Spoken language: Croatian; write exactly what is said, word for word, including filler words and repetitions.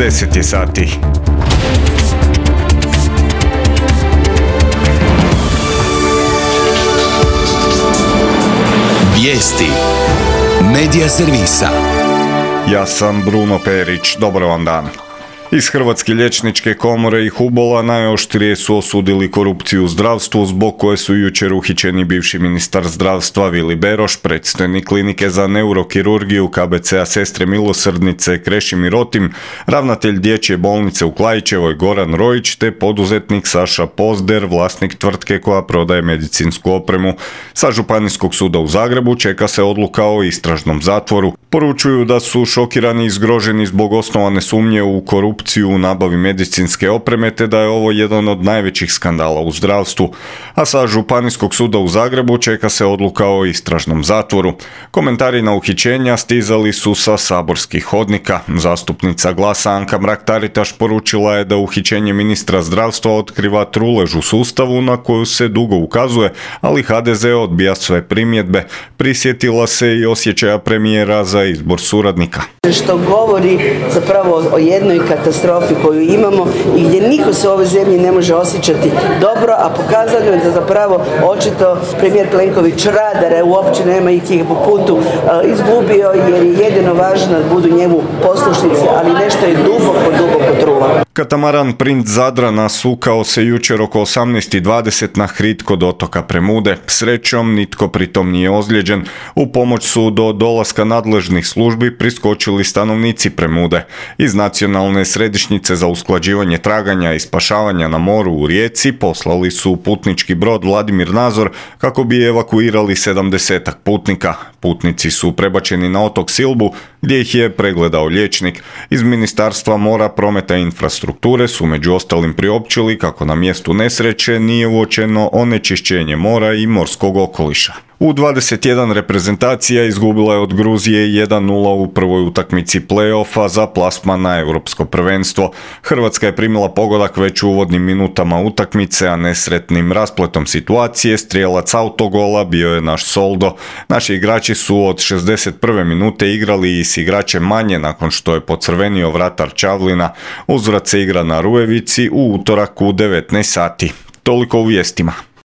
deset je sati. Vijesti Medija servisa. Ja sam Bruno Perić, dobar vam dan. Iz Hrvatske liječničke komore i Hubola najoštrije su osudili korupciju u zdravstvu, zbog koje su jučer uhićeni bivši ministar zdravstva Vili Beroš, predstojnik klinike za neurokirurgiju K B C-a Sestre milosrdnice Krešimir Rotim, ravnatelj dječje bolnice u Klaićevoj Goran Rojić te poduzetnik Saša Pozder, vlasnik tvrtke koja prodaje medicinsku opremu. Sa Županijskog suda u Zagrebu čeka se odluka o istražnom zatvoru. Poručuju da su šokirani i zgroženi zbog osnovane sumnje u korupciju u nabavi medicinske opreme, te da je ovo jedan od najvećih skandala u zdravstvu. A sa Županijskog suda u Zagrebu čeka se odluka o istražnom zatvoru. Komentari na uhićenja stizali su sa saborskih hodnika. Zastupnica Glasa Anka Mrak-Taritaš poručila je da uhićenje ministra zdravstva otkriva trulež u sustavu na koju se dugo ukazuje, ali H D Z odbija sve primjedbe. Prisjetila se i osjećaja premijera za izbor suradnika. Što govori zapravo o jednoj katastrofi koju imamo i gdje niko se u ovoj zemlji ne može osjećati dobro, a pokazano je da zapravo očito premijer Plenković radare uopće nema ih po putu izgubio, jer je jedino važno da budu njemu poslušnici, ali nešto je duboko, duboko trulo. Katamaran Princ Zadra nasukao se jučer oko osamnaest i dvadeset na hrid kod otoka Premude. Srećom, nitko pritom nije ozlijeđen. U pomoć su do dolaska nadležnih službi priskočili stanovnici Premude. Iz Nacionalne središnjice za usklađivanje traganja i spašavanja na moru u Rijeci poslali su putnički brod Vladimir Nazor kako bi evakuirali sedamdesetak putnika. Putnici su prebačeni na otok Silbu gdje ih je pregledao liječnik. Iz Ministarstva mora, prometa i infrastrukture su među ostalim priopćili kako na mjestu nesreće nije uočeno onečišćenje mora i morskog okoliša. U dvadeset jedan reprezentacija izgubila je od Gruzije jedan nula u prvoj utakmici play-offa za plasman na europsko prvenstvo. Hrvatska je primila pogodak već u uvodnim minutama utakmice, a nesretnim raspletom situacije strijelac autogola bio je naš Soldo. Naši igrači su od šezdeset prve minute igrali i s igračem manje nakon što je pocrvenio vratar Čavlina. Uzvrat se igra na Rujevici u utorak u devetnaest sati. Toliko u vijestima.